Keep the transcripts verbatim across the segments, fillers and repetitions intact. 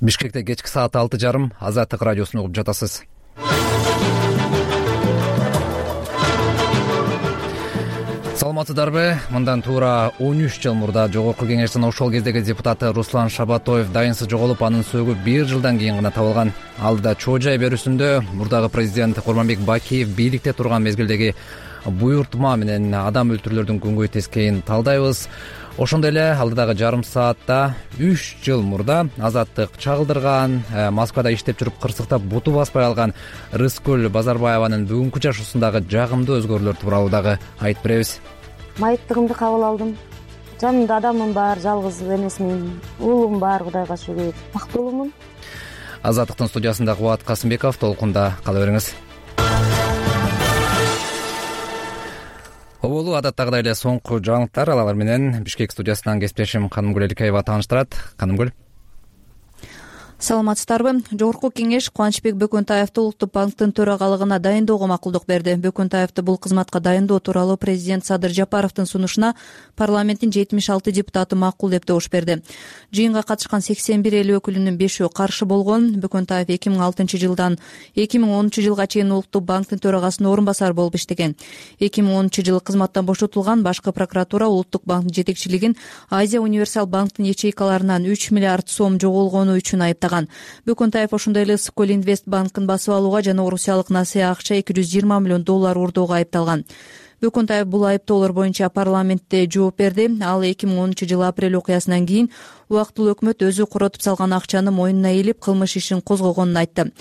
Бишкекте кечки саат алты жарым Азаттык радиосун угуп жатасыз. Саламатсыздарбы? Мындан туура он үч жыл мурда Жогорку Кеңештин ошол кездеги депутаты Руслан Шабатоев дайынсыз жоголуп, анын сөөгү бир жылдан кийин гана табылган. Алдыда чоо жай берүүсүндө мурдагы президент Курманбек Бакиев бийликте турган мезгилдеги буйртма менен адам өлтүрүүлөрдүн күнгөй тескейин талдайбыз. Ошондой эле алдыдагы жарым саатта үч жыл мурда Азаттык чагылдырган, Москвада иштеп жүрүп кырсыктап буту баспай алган Рыскүл Базарбаеванын бүгүнкү жашоосундагы жагымдуу өзгөрүүлөр тууралуу дагы айтып беребиз. Майыптыгымды кабыл алдым. Жанымда адамым бар, жалгыз эмесмин. Уулум бар, Кудайга шүгүр. Бактылуумун. Азаттыктын студиясында Кубат Касымбеков, толкунда кала бериңиз. Оболу адаттагыдай эле соңку жаңылыктар, алар менен Бишкек студиясынан кесиптешим Канымгүл Эликаева тааныштырат. Канымгүл. Саламатсыздарбы? Жогорку Кеңеш Кубанычбек Бөкөнтаевди Улуттук банктын төрагалыгына дайындоого макулдук берди. Бөкөнтаевди бул кызматка дайындоо тууралуу президент Садыр Жапаровдун сунушуна парламенттин жетимиш алты депутаты макул деп добуш берди. Жыйынга катышкан сексен бир эл өкүлүнүн бешөө каршы болгон. Бөкөнтаев эки миң алтынчы жылдан эки миң онунчу жылга чейин Улуттук банктын төрагасынын орун басары болуп иштеген. эки миң онунчу жылы кызматтан бошотулган. Башкы прокуратура Улуттук банктын жетекчилигин Азия Универсал банктын ячейкаларынан үч миллиард сом жоголгону үчүн айыптаган. Бөкөнтаев ошондой эле Скол Инвест банкын басып алууга жана орусиялык насыя акча эки жүз жыйырма миллион доллар урдоого айыпталган. Бөкөнтаев бул айыптоолор боюнча парламентте жооп берди. Ал эки миң онунчу жылы апрель окуясынан кийин убактылуу өкмөт өзү коротуп салган акчаны мойнуна ээлеп кылмыш ишин козгогонун айтты.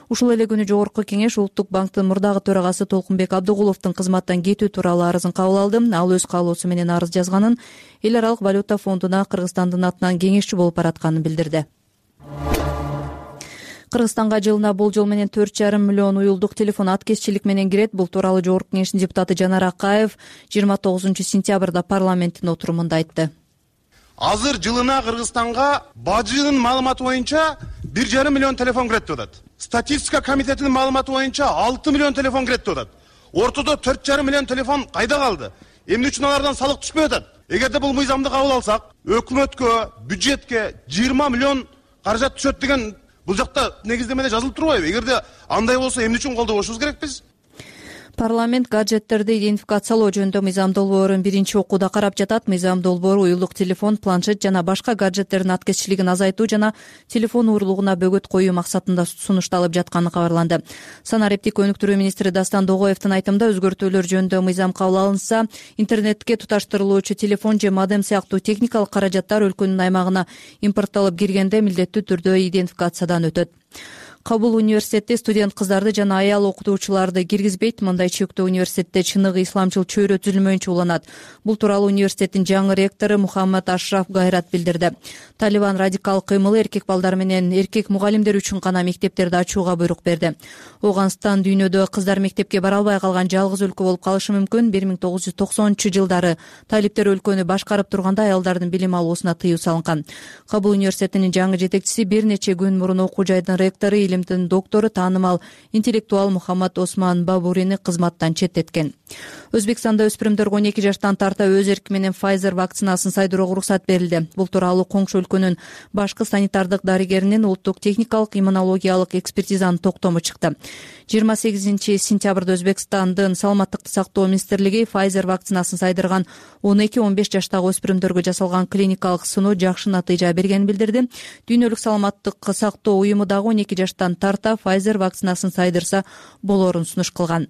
Ушул эле күнү Жогорку Кеңеш Улуттук банктын мурдагы төрагасы Толкунбек Абдыгуловдун кызматтан кетүү тууралуу арызын кабыл алды. Ал өз каалоосу менен арыз жазганын, Эл аралык валюта фондуна Кыргызстандын атынан кеңешчи болуп баратканын билдирди. Кыргызстанга жылына болжол менен төрт жарым миллион уюлдук телефон аткезчилик менен кирет. Бул тууралуу Жогорку Кеңештин депутаты Жанар Акаев жыйырма тогузунчу сентябрда парламенттин отурумунда айтты. Азыр жылына Кыргызстанга бажынын маалыматы боюнча бир жарым миллион телефон кирет деп атат. Статистика комитетинин маалыматы боюнча алты миллион телефон кирет деп атат. Ортодо төрт жарым миллион телефон кайда калды? Эмне үчүн алардан салык түшпөй атат? Эгерде бул мыйзамды кабыл алсак, өкмөткө, бюджетке жыйырма миллион каражат түшөт деген бул жакта негиздемеде жазылып турбайбы? Эгерде андай болсо эмне үчүн колдобошубуз керекпиз? Парламент гаджеттерди идентификациялоо жөнүндө мыйзам долбоорун биринчи окууда карап жатат. Мыйзам долбоору уюлдук телефон, планшет жана башка гаджеттердин аткезчилигин азайтуу жана телефон уурулугуна бөгөт коюу максатында сунушталып жатканы кабарланды. Санариптик өнүктүрүү министри Дастан Догоевдин айтымында өзгөртүүлөр жөнүндө мыйзам кабыл алынса, интернетке туташтырылуучу телефон же модем сыяктуу техникалык каражаттар өлкөнүн аймагына импортталып киргенде милдеттүү түрдө идентификациядан өтөт. Кабул университети студент кыздарды жана аял окутуучуларды киргизбейт. Мындай чектөө университетте чыныгы исламчыл чөйрө түзүлмөйүнчө уланат. Бул тууралуу университеттин жаңы ректору Мухаммад Ашраф Гайрат билдирди. Талибан радикалдык кыймылы эркек балдар менен эркек мугалимдер үчүн гана мектептерди ачууга буйрук берди. Оганстан дүйнөдө кыздар мектепке бара албай калган жалгыз өлкө болуп калышы мүмкүн. бир миң тогуз жүз токсонунчу жылдары талиптер өлкөнү башкарып турганда аялдардын билим алуусуна тыюу салынган. Кабул университетинин жаңы жетекчиси бир нече күн мурун окуу жайдын ректору, илимдин доктору, таанымал интеллектуал Мухаммад Осман Бабурини кызматтан четтеткен. Өзбекстанда өспүрүмдөргө он эки жаштан тарта өз эрки менен Pfizer вакцинасын сайдырууга уруксат берилди. Бул тууралуу коңшу өлкөнүн башкы санитардык дарыгеринин улуттук техникалык иммунологиялык экспертизанын токтому чыкты. жыйырма сегизинчи сентябрда Өзбекстандын саламаттыкты сактоо министрлиги Pfizer вакцинасын сайдырган он эки он беш жаштагы өспүрүмдөргө жасалган клиникалык сыноо жакшы натыйжа бергенин билдирди. Дүйнөлүк саламаттыкты сактоо уюму дагы он эки жаштан тарта Pfizer вакцинасын сайдырса болоорун сунуш кылган.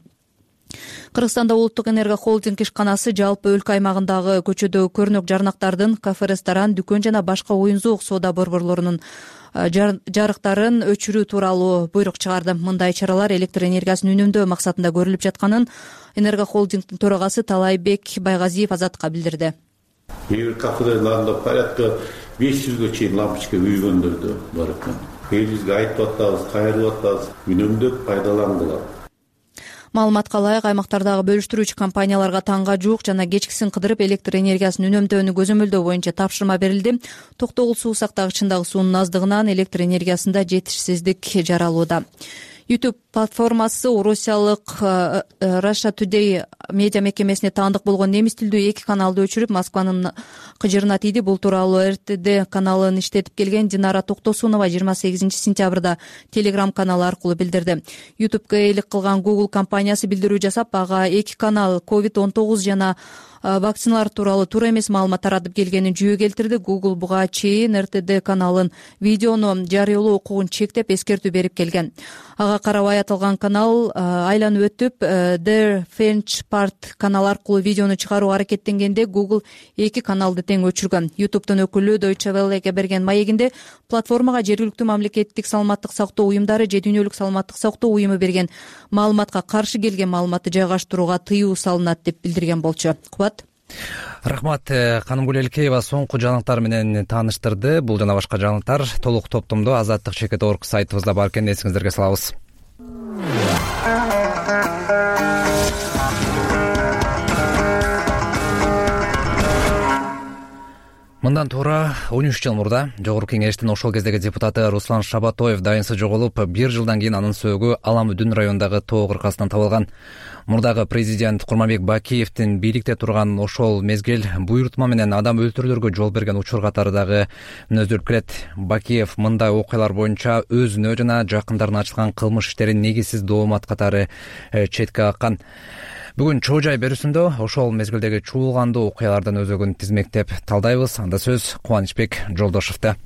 Кыргызстанда улуттук энерго холдинг ишканасы жалпы өлкө аймагындагы көчөдөгү көрнөк жарнактардын, кафе, ресторан, дүкөн жана башка оюн-зоок соода борборлорунун жарыктарын өчүрүү тууралуу буйрук чыгарды. Мындай чаралар электр энергиясын үнөмдөө максатында көрүлүп жатканын энерго холдингдин төрагасы Талайбек Байгазиев Азатка билдирди. Кээ бир кафелерде порядка беш жүзгө чейин лампочка күйгөндөр да бар экен. Элибизге айтып атабыз, кайрылып атабыз, үнөмдөп пайдалангыла. Маалыматка ылайык, аймактардагы бөлүштүрүүчү компанияларга таңга жуук жана кечкисин кыдырып электр энергиясын үнөмдөөнү көзөмөлдөө боюнча тапшырма берилди. Токтогул суу сактагычындагы суунун аздыгынан электр энергиясында жетишсиздик жаралууда. YouTube платформасы орусиялык Russia Today медиа мекемесине таандык болгон немис тилдүү эки каналды өчүрүп Москванын кыжырына тийди. Бул тууралуу эр тэ дэ каналын иштетип келген Динара Токтосунова жыйырма сегизинчи сентябрда Telegram каналы аркылуу билдирди. ютубка ээлик кылган Google компаниясы билдирүү жасап, ага эки канал ковид он тогуз жана вакциналар тууралуу туура эмес маалымат таратып келгенин жүйө келтирди. Google буга чейин эр тэ дэ каналын видеону жарыялоо укугун чектеп, эскертүү берип келген. Ага карабай аталган канал айланып өтүп, The French Part канал аркылуу видеону чыгарууга аракеттенгенде Google эки каналды тең өчүргөн. YouTube'дун өкүлү Deutsche Welle'ге берген маегинде платформага жергиликтүү мамлекеттик саламаттык сактоо уюмдары же дүйнөлүк саламаттык сактоо уюму берген маалыматка каршы келген маалыматты жайгаштырууга тыюу салынат деп билдирген болчу. Кубат. Рахмат. Канымгүл Элкеева соңку жаңылыктар менен тааныштырды. Бул жана башка жаңылыктар толук топтомдо азаттык чекит орг сайтыбызда бар экен, эсиңиздерге салабыз. Мындан туура он үч жыл мурда Жогорку Кеңештин ошол кездеги депутаты Руслан Шабатоев дайынсы жоголуп, бир жылдан кийин анын сөөгү Алам-Үдүн районундагы тоо кыркасынан табылган. Мурдагы президент Курманбек Бакиевдин бийликте турган ошол мезгил буйрутма менен адам өлтүрүүлөргө жол берген учур катары дагы мүнөздөлүп келет. Бакиев мындай окуялар боюнча өзүнө жана жакындарына ачылган кылмыш иштерин негизсиз доомат катары четке каккан. Бүгүн чоо жай берүүсүндө ошол мезгилдеги чуулгандуу окуялардан өзөгүн тизмектеп талдайбыз. Анда сөз Кубанычбек Жолдошовдо.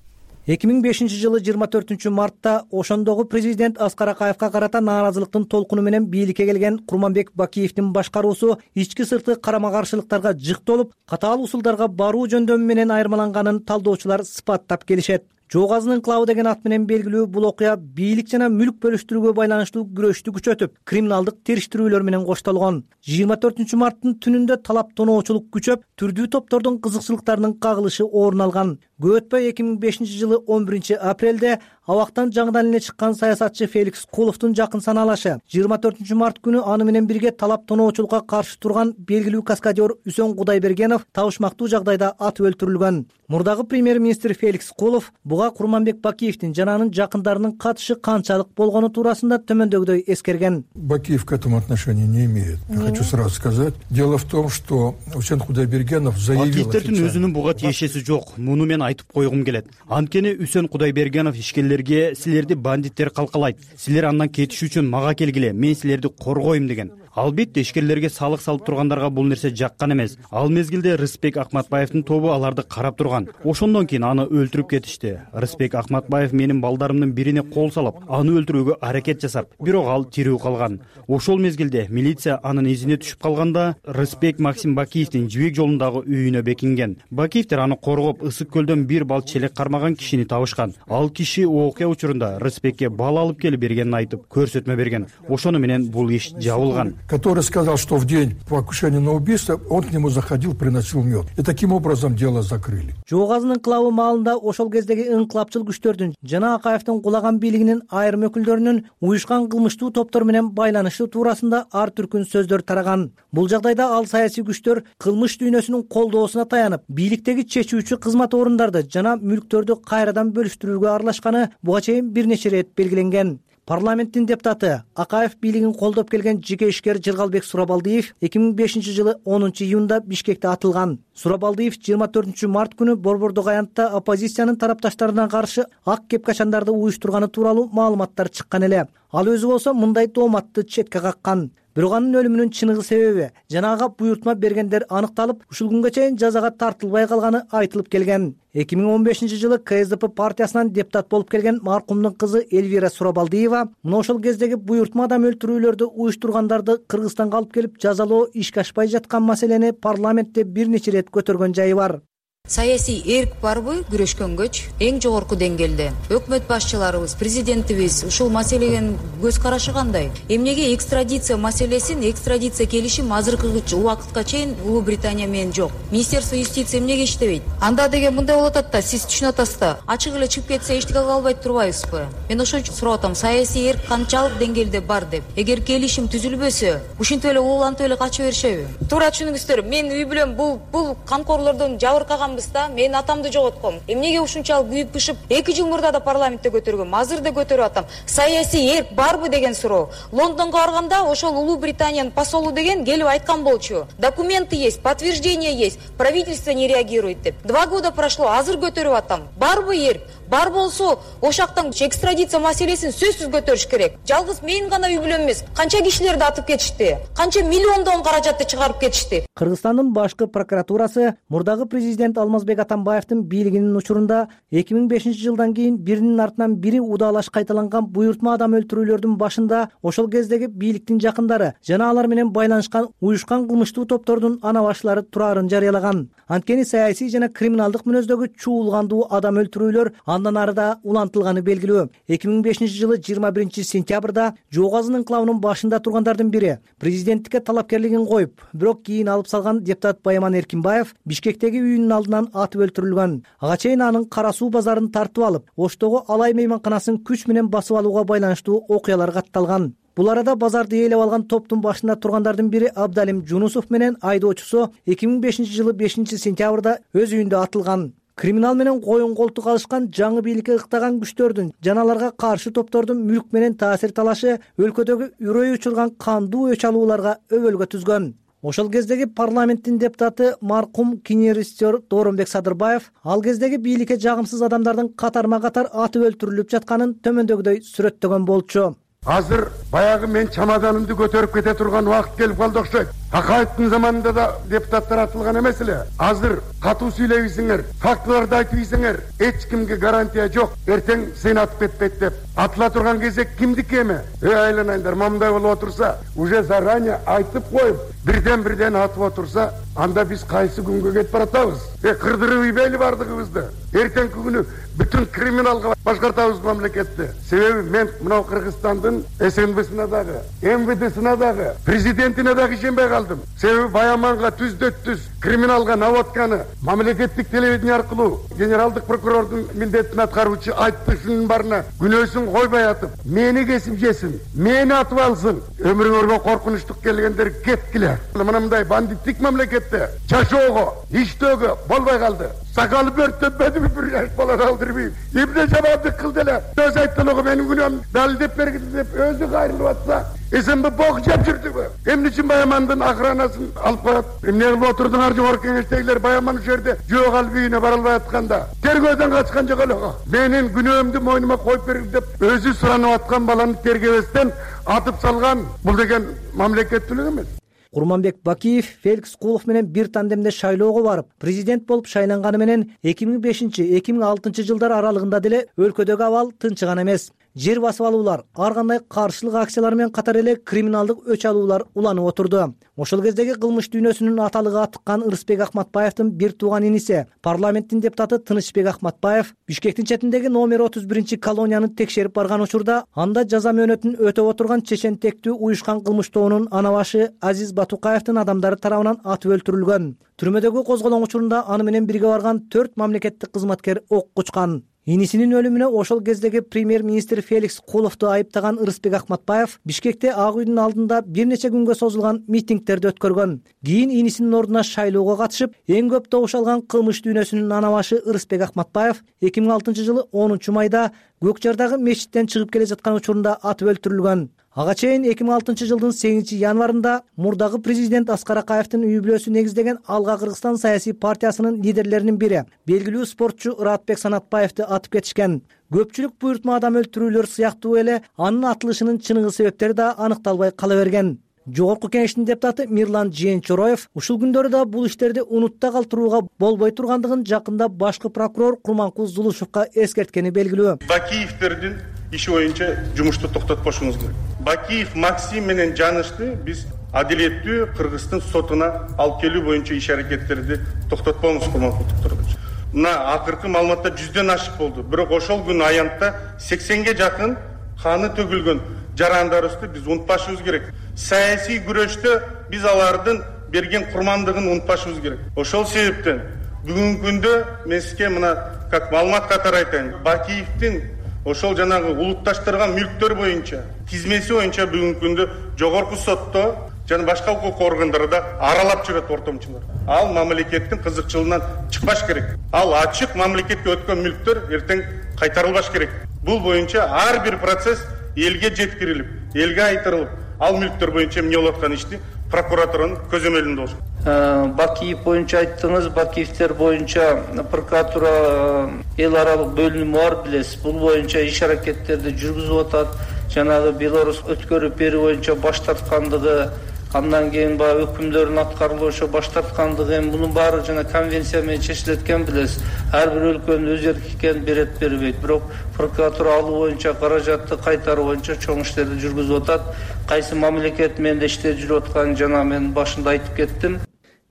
эки миң бешинчи жылы жыйырма төртүнчү мартта ошондогу президент Аскар Акаевка карата нааразылыктын толкуну менен бийликке келген Курманбек Бакиевдин башкаруусу ички сырткы карама каршылыктарга жыктолуп, катаал усулдарга баруу жөндөмү менен айырмаланганын талдоочулар сыпаттап келишет. Жоогазын инкылабы деген ат менен белгилүү бул окуя бийлик жана мүлк бөлүштүрүүгө байланыштуу күрөштү күчөтүп, криминалдык териштирүүлөр менен коштолгон. жыйырма төртүнчү марттын түнүндө талап тоноочулук күчөп, түрдүү топтордун кызыкчылыктарынын кагылышы орун алган. Көп өтпөй эки миң бешинчи жылы он биринчи апрелде абактан жаңыдан эле чыккан саясатчы Феликс Куловдун жакын санаалашы жыйырма төртүнчү март күнү аны менен бирге талап тоноочулукка каршы турган белгилүү каскадер Үсөн Кудайбергенов табышмактуу жагдайда атып өлтүрүлгөн. Мурдагы премьер-министр Феликс Кулов буга Курманбек Бакиевдин жана анын жакындарынын катышы канчалык болгону туурасында төмөндөгүдөй эскерген. Бакиев к этому отношения не имеет. Я хочу сразу сказать. Дело в том, что Үсөн Кудайбергенов заявил... Бакиевдин өзүнүн буга тиешеси жок. Муну мен айтып койгум келет. Анткени Үсөн Кудайбергенов ишкерлерге силерди бандиттер калкалайт, силер андан кетиш үчүн мага келгиле, мен силерди коргойм деген. Албетте ишкерлерге салык салып тургандарга бул нерсе жаккан эмес. Ал мезгилде Рыспек Акматбаевдин тобу аларды карап турган. Ошондон кийин аны өлтүрүп кетишти. Рыспек Акматбаев менин балдарымдын бирине кол салып, аны өлтүрүүгө аракет жасап, бирок ал тирүү калган. Ошол мезгилде милиция анын изине түшүп калганда, Рыспек Максим Бакиевдин Жибек жолундагы үйүнө бекинген. Бакиевдер аны коргоп, ысык көлдөн бир бал челек кармаган кишини табышкан. Ал киши окуя учурунда Рыспекке бал алып келип бергенин айтып, көрсөтмө берген. Ошону менен бул иш жабылган. Который сказал, что в день покушения на убийство он к нему заходил, приносил мед. И таким образом дело закрыли. Жоогазын инкылабы маалында ошол кездеги инкылапчыл күчтөрдүн жана Акаевдин кулаган бийлигинин айрым өкүлдөрүнүн уюшкан кылмыштуу топтор менен байланышы туурасында ар түркүн сөздөр тараган. Бул жагдайда ал саясий күчтөр кылмыш дүйнөсүнүн колдоосуна таянып, бийликтеги чечүүчү кызмат орундарды жана мүлктөрдү кайрадан бөлүштүрүүгө аралашканы буга чейин бир нече ирет белгиленген. Парламенттин депутаты Акаев бийлигин колдоп келген жеке ишкер Жыргалбек Сурабалдиев эки миң бешинчи жылы онунчу июнда Бишкекте атылган. Сурабалдиев жыйырма төртүнчү март күнү Борбордук аянтта оппозициянын тарапташтарына каршы ак кепкачандарды уюштурганы тууралуу маалыматтар чыккан эле. Ал өзү болсо мындай тооматты четке каккан. Бирок анын өлүмүнүн чыныгы себеби жана ага буйрутма бергендер аныкталып, ушул күнгө чейин жазага тартылбай калганы айтылып келген. эки миң он бешинчи жылы Ка Эс Де Пе партиясынан депутат болуп келген маркумдун кызы Эльвира Сурабалдиева мына ошол кездеги буйрутма адам өлтүрүүлөрдү уюштургандарды Кыргызстанга алып келип жазалоо ишке ашпай жаткан маселени парламентте бир нече ирет көтөргөн жайы бар. Саясий эрк барбы күрөшкөнгөч эң жогорку деңгээлде өкмөт башчыларыбыз, президентибиз ушул маселеге көз карашы кандай? Эмнеге экстрадиция маселесин, экстрадиция келишим азыркы убакытка чейин Улуу Британия менен жок? Министерство юстиция эмнеге иштебейт? Анда деген мындай болуп атат да, сиз түшүнүп атасыз да, ачык эле чыгып кетсе эчтеке кыла албай турбайбызбы? Мен ошон үчүн сурап атам, саясий эрк канчалык деңгээлде бар деп. Эгер келишим түзүлбөсө, ушинтип эле улантып эле кача беришеби? Туура түшүнүңүздөр, мен үй бүлөм бул бул камкорлордон жабыркаган адамбыз да. Мен атамды жоготком. Эмнеге ушунчалык күйүп бышып эки жыл мурда да парламентте көтөргөм, азыр да көтөрүп атам. Саясий эрк барбы деген суроо. Лондонго барганда ошол Улуу Британиянын посолу деген келип айткан болчу. Документы есть, подтверждение есть. Правительство не реагирует деп. Два года прошло, азыр көтөрүп атам. Барбы эрк? Бар болсо, ошактан экстрадиция маселесин сөзсүз көтөрүш керек. Жалгыз мен гана үй бүлөм эмес, канча кишилерди атып кетишти, канча миллиондон каражатты чыгарып кетишти. Кыргызстандын башкы прокуратурасы мурдагы президент Алмазбек Атамбаевдин бийлигинин учурунда эки миң бешинчи жылдан кийин биринин артынан бири удаалаш кайталанган буйртма адам өлтүрүүлөрдүн башында ошол кездеги бийликтин жакындары жана алар менен байланышкан уюшкан кылмыштуу топтордун ана баштылары турарын жарыялаган. Анткени саясий жана криминалдык мүнөздөгү чуулгандуу адам өлтүрүүлөр андан ары да улантылганы белгилүү. эки миң бешинчи жылы жыйырма биринчи сентябрда Жоо Азын инкылабынын башында тургандардын бири президенттикке талапкерлигин коюп, бирок кийин алып салган депутат Байаман Эркинбаев Бишкектеги үйүнүн алдынан атып өлтүрүлгөн. Ага чейин анын Кара Суу базарын тартып алып, Оштогу Алай мейманканасын күч менен басып алууга байланыштуу окуялар катталган. Бул арада базарды ээлеп алган топтун башында тургандардын бири Абдалим Жунусов менен айдоочусу эки миң бешинчи жылы бешинчи сентябрда өз үйүндө атылган. Криминал менен коюн колтук алышкан жаңы бийликке ыктаган күчтөрдүн жана аларга каршы топтордун мүлк менен таасир талашы өлкөдөгү үрөй учурган кандуу өч алууларга өбөлгө түзгөн. Ошол кездеги парламенттин депутаты маркум кинерестер Дооронбек Садырбаев ал кездеги бийликке жагымсыз адамдардын катарма катар атып өлтүрүлүп жатканын төмөндөгүдөй сүрөттөгөн болчу. Азыр баягы мен чамаданымды көтөрүп кете турган убакыт келип калды окшойт. Акаевдин заманында да депутаттар атылган эмес эле. Азыр катуу сүйлөйсүңөр, фактыларды айтпайсыңар, эч кимге гарантия жок. Эртең сени атып кетпейт деп. Атыла турган кезек кимдики эми? Эй айланайындар, момундай болуп отурса, уже заранее айтып коюп, бирден-бирден атып отурса, анда биз кайсы күнгө кетип баратабыз? Э кырдырып ийбейли бардыгыбызды. Эртеңки күнү бүтүн криминалга башкартабыз мамлекетти. Себеби мен мына Кыргызстандын СНБсына дагы, МВДсына дагы, президентине дагы ишенбей калдым. Себеби Баяманга түздө-түз криминалга наводканы мамлекеттик телевидение аркылуу генералдык прокурордун милдетин аткаруучу айтты, шунун барына күнөөсүн койбой атып, мени кесип жесин, мени атып алсын. Өмүрүңөргө коркунучтук келгендер кеткиле. Мына мындай бандиттик мамлекетте жашоого, иштөөгө болбой калды. Сакалы бөрттөнбөдүбү бир жаш бала алдырбайм. Эмне жамандык кылды эле? Өз айттылыгы менин күнөөм далилдеп бергиле деп өзү кайрылып атса, эсенби бок жеп жүрдүбү? Эмне үчүн Баямандын охранасын алып коет? Эмне кылып отурдуңар жогорку кеңештегилер? Баяман ушул жерде жоок алып үйүнө бара албай атканда, тергөөдөн качкан жок эле. Менин күнөөмдү мойнума коюп берип деп өзү суранып аткан баланы тергебестен атып салган. Бул деген мамлекеттүүлүк эмес. Курманбек Бакиев Феликс Кулов менен бир тандемде шайлоого барып, президент болуп шайланганы менен эки миң бешинчи — эки миң алтынчы жылдар аралыгында деле өлкөдөгү абал тынчыган эмес. Жер басып алуулар, ар кандай каршылык акциялары менен катар эле криминалдык өч алуулар уланып отурду. Ошол кездеги кылмыш дүйнөсүнүн аталыгы атыккан Ырысбек Акматбаевдин бир тууган иниси, парламенттин депутаты Тынычбек Акматбаев Бишкектин четиндеги номер отуз биринчи колонияны текшерип барган учурда анда жаза мөөнөтүн өтөп отурган чечентектүү уюшкан кылмыш тобунун ана башы Азиз Батукаевдин адамдары тарабынан атып өлтүрүлгөн. Түрмөдөгү козголоң учурунда аны менен бирге барган төрт мамлекеттик кызматкер ок кучкан. Инисинин өлүмүнө ошол кездеги премьер-министр Феликс Куловду айыптаган Ырысбек Акматбаев Бишкекте Ак үйдүн алдында бир нече күнгө созулган митингдерди өткөргөн. Кийин инисинин ордуна шайлоого катышып, эң көп добуш алган кылмыш дүйнөсүнүн ана башы Ырысбек Акматбаев эки миң алтынчы жылы онунчу майда Көкжардагы мечиттен чыгып келе жаткан учурунда атып өлтүрүлгөн. Ага чейин эки миң алтынчы жылдын сегизинчи январында мурдагы президент Аскар Акаевдин үй бүлөсү негиздеген Алга Кыргызстан саясий партиясынын лидерлеринин бири, белгилүү спортчу Ыратбек Санатбаевди атып кетишкен. Көпчүлүк буйртма адам өлтүрүүлөр сыяктуу эле анын атылышынын чыныгы себептери да аныкталбай кала берген. Жогорку кеңештин депутаты Мирлан Жээнчороев ушул күндөрү да бул иштерди унутта калтырууга болбой тургандыгын жакында башкы прокурор Курманкул Зулушевка эскерткени белгилүү. Бакиевдердин иши боюнча жумушту токтотпошуңуз керек. Бакиев Максим менен Жанышты биз адилеттүү Кыргыздын сотуна алып келүү боюнча иш аракеттерди токтотпоңуз Курманкул Тукторович. Мына акыркы маалыматта жүздөн ашык болду. Бирок ошол күн аянтта сексенге жакын каны төгүлгөн жарандарыбызды биз унутпашыбыз керек. Саясий күрөштө биз алардын берген курмандыгын унутпашыбыз керек. Ошол себептен бүгүнкү күндө мен сизге мына как маалымат катары айтайын. Бакиевдин ошол жанагы улутташтырган мүлктөр боюнча тизмеси боюнча бүгүнкү күндө жогорку сотто жана башка укук органдарда аралап жүрөт ортомчулар. Ал мамлекеттин кызыкчылыгынан чыкпаш керек. Ал ачык мамлекетке өткөн мүлктөр эртең кайтарылбаш керек. Бул боюнча ар бир процесс элге жеткирилип, элге айтырылып, ал мүлктөр боюнча эмне болуп аткан ишти прокуратуранын көзөмөлүндө болуш. Бакиев боюнча айттыңыз, Бакиевтер боюнча прокуратура эл аралык бөлүнүмү бар билесиз. Бул боюнча иш аракеттерди жүргүзүп атат. Жанагы Беларусь өткөрүп берүү боюнча баш тарткандыгы, андан кийин баягы өкүмдөрдүн аткарылышы боюнча баш тарткандыгы, эми мунун баары жана конвенция менен чечилет экен билесиз. Ар бир өлкөнүн өз эркин берет бербейт. Бирок прокуратура алуу боюнча каражатты кайтаруу боюнча чоң иштерди жүргүзүп атат. Кайсы мамлекет менен иштеп жүрүп атканын жана мен башында айтып кеттим.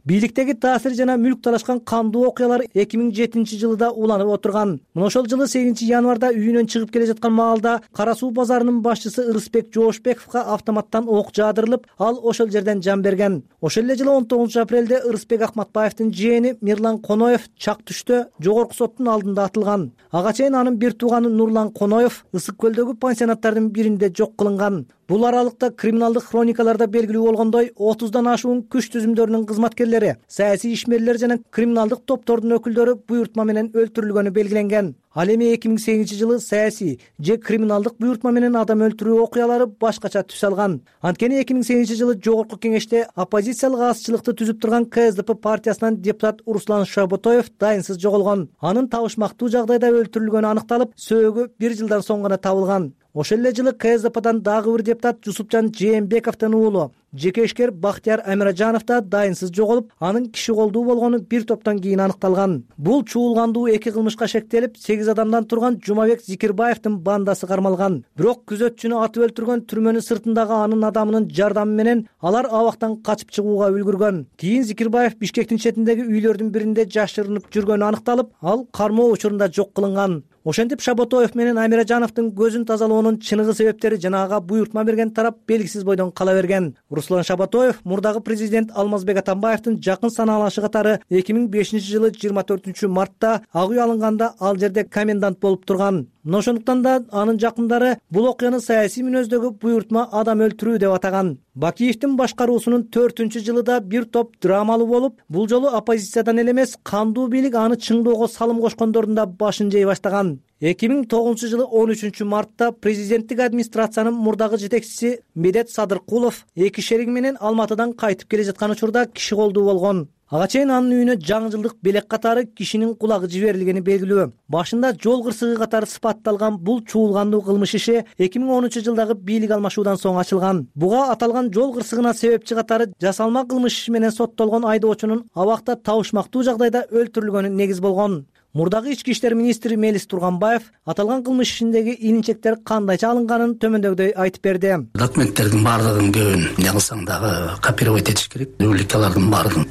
Бийликтеги таасир жана мүлк талашкан кандуу окуялар эки миң жетинчи жылы да уланып отурган. Мына ошол жылы сегизинчи январда үйүнөн чыгып келе жаткан маалда Кара суу базарынын башчысы Ырысбек Жоошбековго автоматтан ок жаадырылып, ал ошол жерден жан берген. Ошол эле жылы он тогузунчу апрелде Ырысбек Акматбаевдин жээни Мирлан Коноев Чак түштө жогорку соттун алдында атылган. Ага чейин анын бир тууганы Нурлан Коноев Ысык көлдөгү пансионаттардын биринде жок кылынган. Бул аралыкта криминалдык хроникаларда белгилүү болгондой отуздан ашуун күч түзүмдөрүнүн кызматкерлери, саясий ишмерлер жана криминалдык топтордун өкүлдөрү буйртма менен өлтүрүлгөнү белгиленген. Ал эми эки миң сегизинчи жылы саясий же криминалдык буйртма менен адам өлтүрүү окуялары башкача түс алган. Анткени эки миң сегизинчи жылы жогорку кеңеште оппозициялык азчылыкты түзүп турган Ка Эс Дэ Пэ партиясынан депутат Руслан Шабатоев дайынсыз жоголгон. Анын табышмактуу жагдайда өлтүрүлгөнү аныкталып, сөөгү бир жылдан соң гана табылган. Ошол эле жылы Ка Эс Дэ Пэдан дагы бир депутат Жусупжан Жээнбековдун уулу жеке ишкер Бактияр Амиражанов да дайынсыз жоголуп, анын киши колдуу болгону бир топтон кийин аныкталган. Бул чуулгандуу эки кылмышка шектелип, сегиз адамдан турган Жумабек Зикирбаевдин бандасы кармалган. Бирок күзөтчүнү атып өлтүргөн түрмөнүн сыртындагы анын адамынын жардамы менен алар абактан качып чыгууга үлгүргөн. Кийин Зикирбаев Бишкектин четиндеги үйлөрдүн биринде жашырынып жүргөнү аныкталып, ал кармоо учурунда жок кылынган. Ошентип Шабатоев менен Амиражановдун көзүн тазалоонун чыныгы себептери жана ага буйртма берген тарап белгисиз бойдон кала берген. Руслан Шабатоев мурдагы президент Алмазбек Атамбаевдин жакын санаалашы катары эки миң бешинчи жылы жыйырма төртүнчү мартта ак үй алынганда ал жерде комендант болуп турган. Мына ошондуктан да анын жакындары бул окуяны саясий мүнөздөгү буйртма адам өлтүрүү деп атаган. Бакиевдин башкаруусунун төртүнчү жылыда бир топ драмалуу болуп, бул жолу оппозициядан эле эмес, кандуу бийлик аны чыңдоого салым кошкондордун да башын жей баштаган. эки миң тогузунчу жылы он үчүнчү мартта президенттик администрациянын мурдагы жетекчиси Медет Садыркулов эки шериги менен Алматыдан кайтып келе жаткан учурда киши колдуу болгон. Ага чейин анын үйүнө жаңы жылдык белек катары кишинин кулагы жиберилгени белгилүү. Башында жол кырсыгы катары сыпатталган бул чуулгандуу кылмыш иши эки миң онунчу жылдагы бийлик алмашуудан соң ачылган. Буга аталган жол кырсыгына себепчи катары жасалма кылмыш иши менен соттолгон айдоочунун абакта табышмактуу жагдайда өлтүрүлгөнү негиз болгон. Мурдагы ички иштер министри Мелис Турганбаев аталган кылмыш ишиндеги илинчектер кандайча алынганын төмөндөгүдөй айтып берди. Документтердин баардыгын көбүн эмне кылсаң дагы копировать этиш керек. Уликалардын баардыгын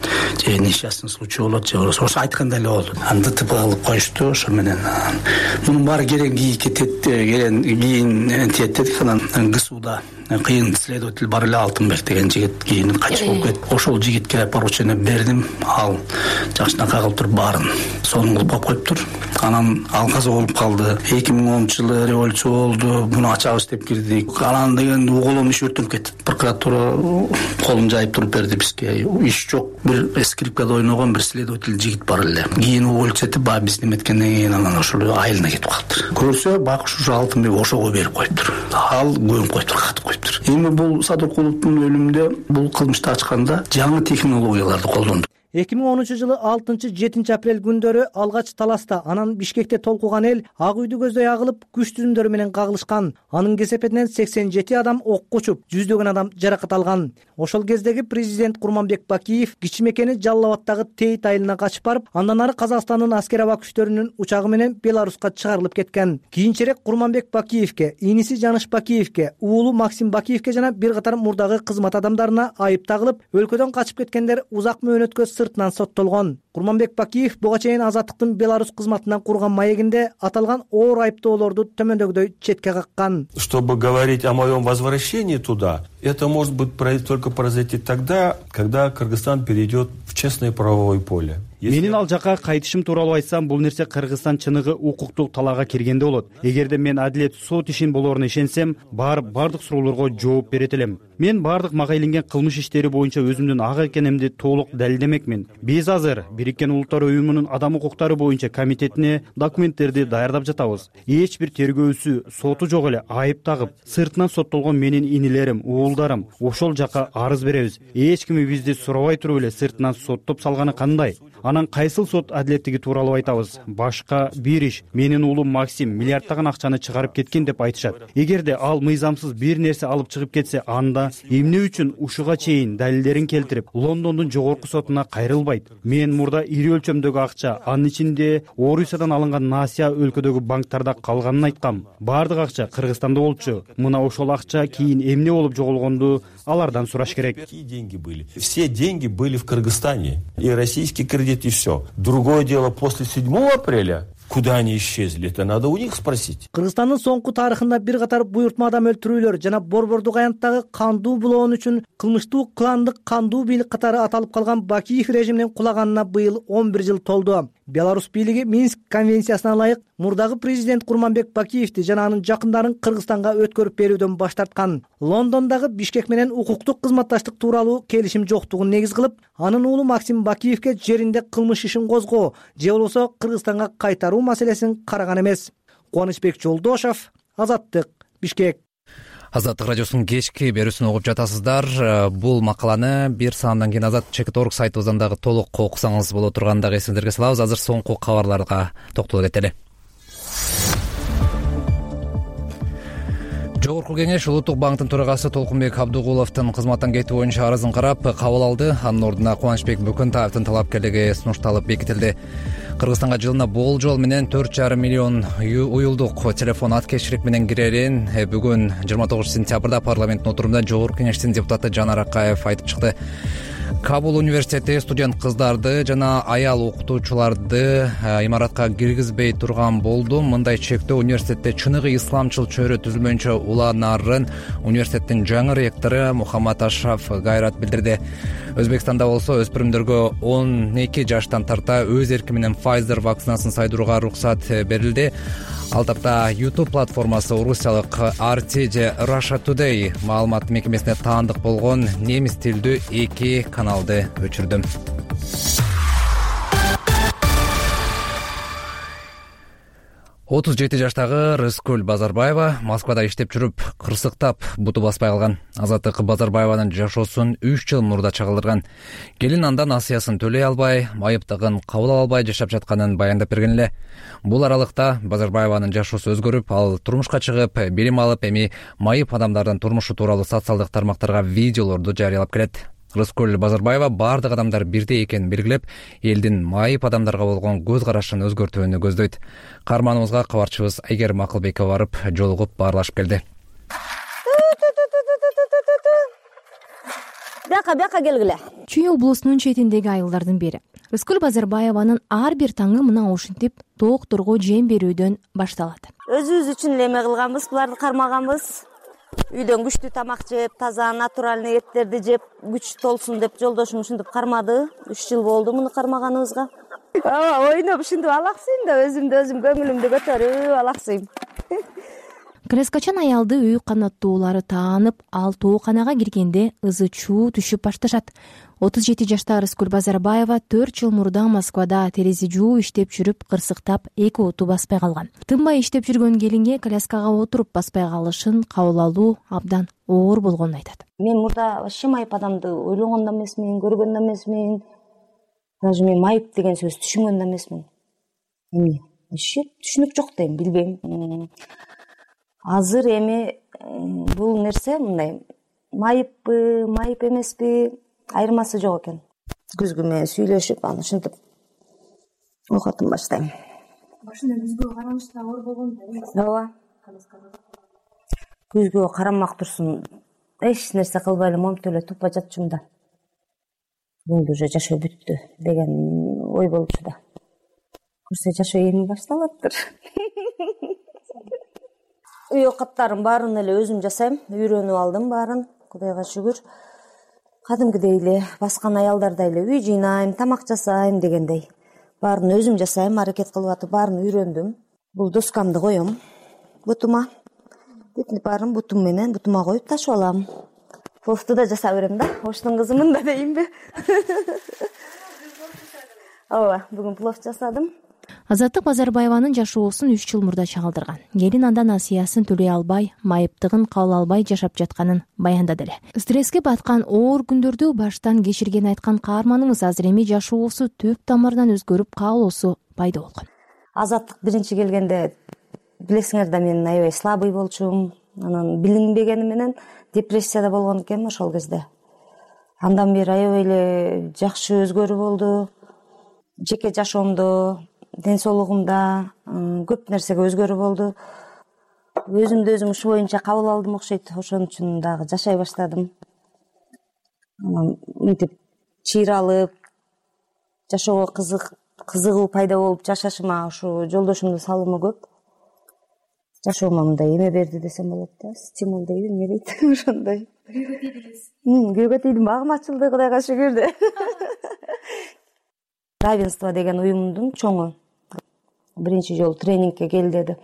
же несчастный случай болот, же ошо айткандай эле болду. Аны ДТП кылып коюшту, ошо менен мунун баары керен кийин кетет, керен кийин тиет дедик. Анан ГСУда кыйын следователь бар эле Алтынбек деген жигит кийин качып болуп кетти. Ошол жигитке поручение бердим. Ал жакшынакай кылып туруп баарын сонун кылып коюптур. Анан ал каза болуп калды. эки миң онунчу жылы революция болду. Буну ачабыз деп кирдик. Анан деген уголовный иш өртөнүп кетти. Прокуратура колун жайып туруп берди бизге. Иш жок. Бир скрипкада ойногон бир следователь жигит бар эле. Кийин уволить этип, баягы биз неметкенден кийин анан ошол айылына кетип калды. Көрсө бакыш ушу Алтынбек ошого берип коюптур. Ал көмүп коюптур, катып коюптур. Эми бул Садыркуловдун өлүмүндө бул кылмышты ачканда жаңы технологияларды колдондук. эки миң онунчу жылы алтынчы жетинчи апрель күндөрү алгач таласта, анан Бишкекте толкуган эл ак үйдү көздөй агылып, күч түзүмдөрү менен кагылышкан. Анын кесепетинен сексен жети адам окко учуп, жүздөгөн адам жаракат алган. Ошол кездеги президент Курманбек Бакиев кичи мекени Жалал Абадтагы Тейит айылына качып барып, андан ары Казакстандын аскер аба күчтөрүнүн учагы менен Беларуска чыгарылып кеткен. Кийинчерээк Курманбек Бакиевке, иниси Жаныш Бакиевке, уулу Максим Бакиевке жана бир катар мурдагы кызмат адамдарына айып тагылып, өлкөдөн качып кеткендер узак мөөнөткө сыртынан соттолгон. Курманбек Бакиев буга чейин Азаттыктын Беларусь кызматынан курган маегинде аталган оор айыптоолорду төмөндөгүдөй четке каккан. Чтобы говорить о моем возвращении туда, это может быть только произойти тогда, когда Кыргызстан перейдет в честное правовое поле. Менин ал жака кайтышым тууралуу айтсам, бул нерсе Кыргызстан чыныгы укуктук талаага киргенде болот. Эгерде мен адилет сот ишин болоруна ишенсем, бар бардык суроолорго жооп берет элем. мен баардык мага илинген кылмыш иштери боюнча өзүмдүн ак экенимди толук далилдемекмин. Биз азыр Бириккен Улуттар Уюмунун адам укуктары боюнча комитетине документтерди даярдап жатабыз. Эч бир тергөөчү, соту жок эле айып тагып, сыртынан соттолгон менин инилерим, уулдарым ошол жака арыз беребиз. Эч ким бизди сурабай туруп эле сыртынан соттоп салганы кандай? Анан кайсыл сот адилеттиги тууралуу айтабыз? Башка бир иш. Менин уулум Максим миллиардтаган акчаны чыгарып кеткен деп айтышат. Эгерде ал мыйзамсыз бир нерсе алып чыгып кетсе, анда эмне үчүн ушуга чейин далилдерин келтирип, Лондондун жогорку сотуна кайрылбайт? Мен мурда ири өлчөмдөгү акча, анын ичинде Орусиядан алынган Насия өлкөдөгү банктарда калганын айткам. Баардык акча Кыргызстанда болчу. Мына ошол акча кийин эмне болуп жоголгонду алардан сураш керек. Деньги были. Все деньги были в Кыргызстане. И российский кредит, и все. Другое дело, после седьмого апреля куда они исчезли? Это надо у них спросить. Кыргызстандын соңку тарыхында бир катар буйртма адам өлтүрүүлөр жана Борбордук аянттагы кандуу булоон үчүн кылмыштуу кландык кандуу бийлик катары аталып калган Бакиев режиминин кулаганына быйыл он бир жыл толду. Беларусь бийлиги Минск конвенциясына ылайык мурдагы президент Курманбек Бакиевди жана анын жакындарын Кыргызстанга өткөрүп берүүдөн баш тарткан. Лондондогу Бишкек менен укуктук кызматташтык тууралуу келишим жоктугун негиз кылып, анын уулу Максим Бакиевге жеринде кылмыш ишин козгоо же болбосо Кыргызстанга кайтаруу маселесин караган эмес. Кубанычбек Жолдошов, Азаттык, Бишкек. Азаттык радиосунун кечки берүүсүн угуп жатасыздар. Бул макаланы бир саамдан кийин Азат чекит точка орг сайтыбыздан дагы толук окусаңыз боло турганын дагы эсиңиздерге салабыз. Азыр соңку кабарларга токтоло кетели. Жогорку кеңеш Улуттук банктын төрагасы Толкунбек Абдыгуловдун кызматтан кетүү боюнча арызын карап кабыл алды. Анын ордуна Кубанычбек Бөкөнтаевдин талапкерлиги сунушталып бекитилди. Кыргызстанга жылына болжол менен төрт жарым миллион уюлдук телефон аткечилик менен кирерин бүгүн жыйырма тогузунчу сентябрда парламенттин отурумунда Жогорку кеңештин депутаты Жанар Акаев айтып чыкты. Кабул университети студент кыздарды жана аял окутуучуларды имаратка киргизбей турган болду. Мындай чектөө университетте чыныгы исламчыл чөйрө түзүлмөйүнчө уланарын университеттин жаңы ректору Мухаммад Ашраф кайрат билдирди. Өзбекстанда болсо өспүрүмдөргө он эки жаштан тарта өз эрки менен Pfizer вакцинасын сайдырууга уруксат берилди. Ал тапта YouTube платформасы орусиялык ар ти же Russia Today маалымат мекемесине таандык болгон немис тилдүү эки каналды өчүрдү. отуз жети жаштагы Рыскүл Базарбаева Москвада иштеп жүрүп, кырсыктап буту баспай калган. Азаттык Базарбаеванын жашоосун үч жыл мурда чагылдырган. Келин андан насыясын төлөй албай, майыптыгын кабыл ала албай жашап жатканын баяндап берген эле. Бул аралыкта Базарбаеванын жашоосу өзгөрүп, ал турмушка чыгып, билим алып, эми майып адамдардын турмушу тууралуу социалдык тармактарга видеолорду жарыялап келет. Рыскүл Базарбаева бардык адамдар бирдей экенин белгилеп, элдин майып адамдарга болгон көз карашын өзгөртүүнү көздөйт. Каарманыбызга кабарчыбыз Айгерим Акылбекова барып, жолугуп баарлашып келди. Бияка бияка келгиле. Чүй облусунун четиндеги айылдардын бири. Рыскүл Базарбаеванын ар бир таңы мына ушинтип доокторго жем берүүдөн башталат. Өзүбүз үчүн эме кылганбыз, буларды кармаганбыз. Үйдөн күчтүү тамак жеп, таза натуральный эттерди жеп, күч толсун деп жолдошум ушинтип кармады. үч жыл болду муну кармаганыбызга. Ооба, ойноп ушинтип алаксыйм да, өзүмдү өзүм көңүлүмдү көтөрүп алаксыйм. Крескачан аялды үй канаттуулары таанып, ал тооканага киргенде ызы чуу түшүп башташат. отуз жети жаштагы Рыскүл Базарбаева төрт жыл мурда Москвада терезе жуу иштеп жүрүп, кырсыктап эки оту баспай калган. Тынбай иштеп жүргөн келинге коляскага отуруп баспай калышын кабыл алуу абдан оор болгонун айтат. Мен мурда вообще майып адамды ойлогон да эмесмин, көргөн да эмесмин. Даже мен майып деген сөз түшүнгөн да эмесмин. Эми вообще түшүнүк жок дейм, билбейм. Азыр эми бул нерсе мындай майыппы, майып эмеспи айырмасы жок экен. Күзгү менен сүйлөшүп, аны ушинтип окутуп баштайм. Башында күзгүгө караныч да оор болгон да эмес. Ооба. Күзгүгө карамак турсун, эч нерсе кылбай эле момтоп эле тупа жатчумун да. Бул уже жашоо бүттү деген ой болчу да. Көрсө жашоо эми башталаптыр. Үй окаттарын баарын эле өзүм жасайм, үйрөнүп алдым баарын, Кудайга шүгүр. Кадимкидей эле баскан аялдардай эле үй жыйнайм, тамак жасайм дегендей. Баарын өзүм жасайм, аракет кылып атып баарын үйрөндүм. Бул доскамды коем бутума. Бүтүн баарын бутум менен бутума коюп ташып алам. Пловду да жасап берем да. Оштун кызымын да дейинби? Ооба, бүгүн плов жасадым. Азаттык Базарбаеванын жашоосун үч жыл мурда чагылдырган. Келин андан асыясын төлөй албай, майыптыгын кабыл албай жашап жатканын баяндады эле. Стресске баткан оор күндөрдү баштан кечиргенин айткан каарманыбыз азыр эми жашоосу төп тамырынан өзгөрүп, каалоосу пайда болгон. Азаттык биринчи келгенде билесиңер да мен аябай слабый болчумун. Анан билинбегени менен депрессияда болгон экенмин ошол кезде. Андан бери аябай эле жакшы өзгөрүү болду. Жеке жашоомдо, ден соолугумда көп нерсеге өзгөрүү болду. Өзүмдү өзүм ушу боюнча кабыл алдым окшойт. Ошон үчүн дагы жашай баштадым. Анан мынтип чыйралып, жашоого кызык, кызыгуу пайда болуп жашашыма ушу жолдошумдун салымы көп. Жашоомо мындай эме берди десем болот да, стимул дейби, эмне дейт, ошондой. Күйгө тийдиңиз? Күйгө тийдим, багым ачылды, Кудайга шүгүр. Равенство деген уюмдун чоңу биринчи жолу тренингке кел деди.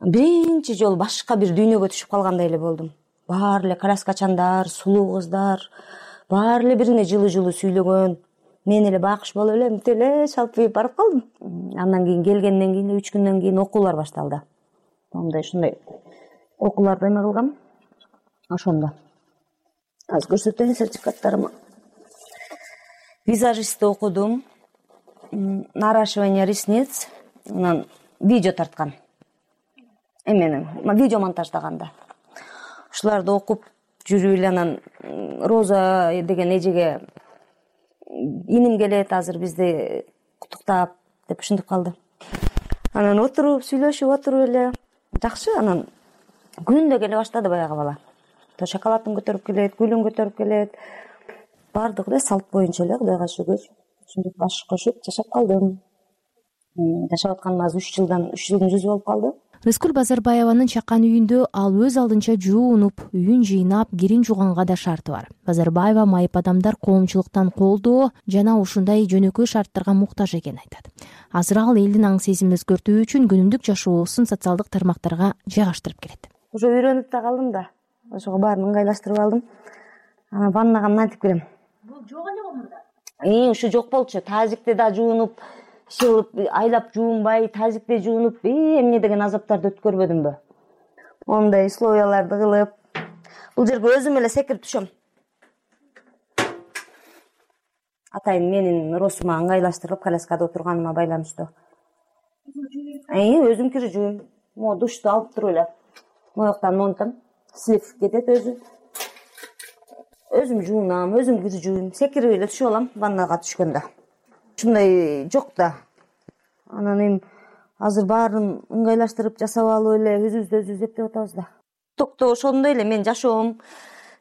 Биринчи жолу башка бир дүйнөгө түшүп калгандай эле болдум. Баары эле коляскачандар, сулуу кыздар, баары эле бирине жылы-жылы сүйлөгөн. Мен эле бакыш болуп эле мынтип эле шалпайып барып калдым. Андан кийин келгенден кийин үч күндөн кийин окуулар башталды. Мындай ушундай окууларды эме кылгам. Ошондо азыр көрсөтөйүн сертификаттарымы. Визажистти окудум. Наращивание ресниц, анан видео тарткан. Эменин, видео монтаждаганда. Ушуларды окуп жүрүп эле анан Роза деген эжеге иним келет азыр бизди куттуктап деп ушинтип калды. Анан отуруп, сүйлөшүп отуруп эле жакшы, анан күндө келе баштады баягы бала. То шоколадын көтөрүп келет, гүлүн көтөрүп келет. Бардыгы эле салт боюнча эле, Кудайга шүгүр. Ушинтип баш кошуп жашап калдым. Жашап атканыма үч жылдан үч жылдын жүзү болуп калды. Рыскүл Базарбаеванын чакан үйүндө ал өз алдынча жуунуп, үйүн жыйнап, кирин жуганга да шарты бар. Базарбаева майып адамдар коомчулуктан колдоо жана ушундай жөнөкөй шарттарга муктаж экенин айтат. Азыр ал элдин аң сезимин өзгөртүү үчүн күнүмдүк жашоосун социалдык тармактарга жайгаштырып келет. Уже үйрөнүп да калдым да. Ошого баарын ыңгайлаштырып алдым. Анан ваннага мынтип кирем. Бул жок эле го мурда. Э, ушу жок болчу. Тазикте да жуунуп, шылып, айлап жуунбай, тазикте жуунуп, эмне деген азаптарды өткөрбөдүмбү? Ондай условияларды кылып, бул жерге өзүм эле секирип түшөм. Атайын менин росума ыңгайлаштырып, коляскада отурганыма байланыштуу. Э, өзүм кирип жууйм. Могу душту алып туруп эле. Мояктан монтам, слив кетет өзү. Өзүм жуунам, өзүм кирип жууйм. Секирип эле түшүп алам ваннага түшкөндө. Ушундай жок да. Анан эми азыр баарын ыңгайлаштырып жасап алып эле өзүбүздү өзүбүз эптеп атабыз да. Токто ошондой эле мен жашоом,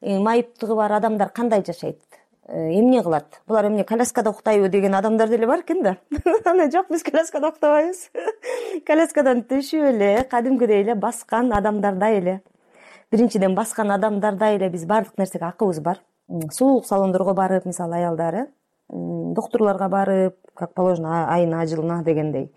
майыптыгы бар адамдар кандай жашайт? Эмне кылат? Булар эмне коляскада уктайбы деген адамдар деле бар экен да. Анан жок, биз коляскада уктабайбыз. Коляскадан түшүп эле, кадимкидей эле баскан адамдардай эле. Биринчиден баскан адамдардай эле биз бардык нерсеге акыбыз бар. Сулуулук салондорго барып, мисалы аялдары, доктурларга барып, как положено, айына, жылына дегендей.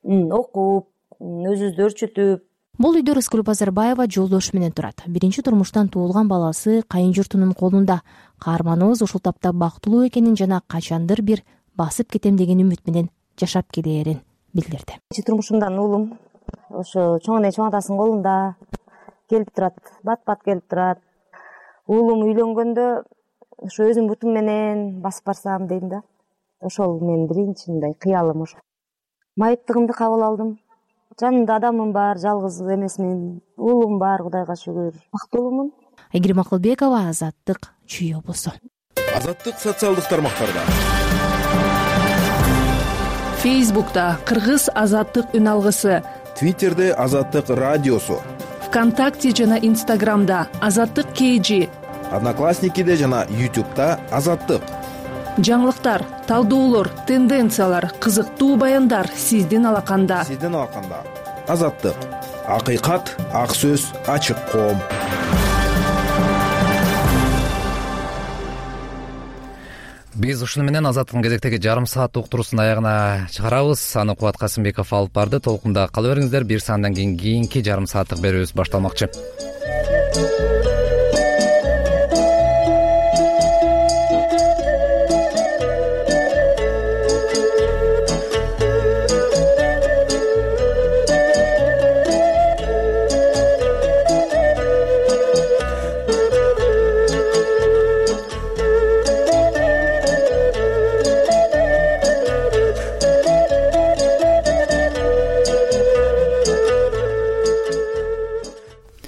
Окуп, өзүбүздү өрчүтүп. Бул үйдө Рыскүл Базарбаева жолдошу менен турат. Биринчи турмуштан туулган баласы кайын журтунун колунда. Каарманыбыз ушул тапта бактылуу экенин жана качандыр бир басып кетем деген үмүт менен жашап келээрин билдирди. Биринчи турмушумдан уулум ошо чоң эне чоң атасынын колунда келип турат, бат-бат келип турат. Уулум үйлөнгөндө ошо өзүм бутум менен басып барсам дейм да. Ошол менин биринчи мындай кыялым ошо. Майыптыгымды кабыл алдым. Жанымда адамым бар, жалгыз эмесмин. Уулум бар, Кудайга шүгүр. Бактылуумун. Айгерим Акылбекова, Азаттык, Чүй облусу. Азаттык социалдык тармактарда. Фейсбукта Кыргыз Азаттык үн алгысы. Твиттерде Азаттык радиосу. ВКонтакте жана Инстаграмда Азаттык кей жи. Одноклассникиде жана Ютубта Азаттык. Жаңылыктар, талдоолор, тенденциялар, кызыктуу баяндар сиздин алаканда. Сиздин алаканда. Азаттык. Акыйкат, ак сөз, ачык коом. Биз ушуну менен Азаттыктын кезектеги жарым саат уктуруусун аягына чыгарабыз. Аны Кубат Касымбеков алып барды. Толкунда кала бериңиздер. Бир сааттан кийин кийинки жарым сааттык берүүбүз башталмакчы.